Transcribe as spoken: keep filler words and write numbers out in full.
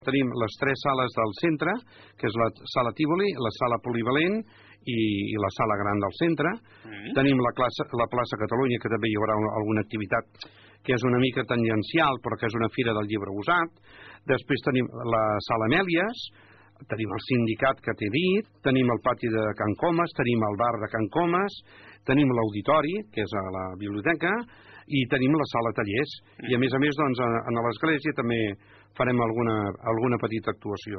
Tenim les tres sales del centre, que és la sala Tívoli, la sala Polivalent i, i la sala gran del centre. Mm. Tenim la, classe, la plaça Catalunya, que també hi haurà una, alguna activitat que és una mica tangencial, però que és una fira del llibre usat. Després tenim la sala Amèlies, tenim el sindicat que t'he dit, tenim el pati de Can Comas, tenim el bar de Can Comas, tenim l'auditori, que és a la biblioteca, i tenim la sala tallers. Mm. I a més a més, doncs, a, a l'església també farem alguna, alguna petita actuació.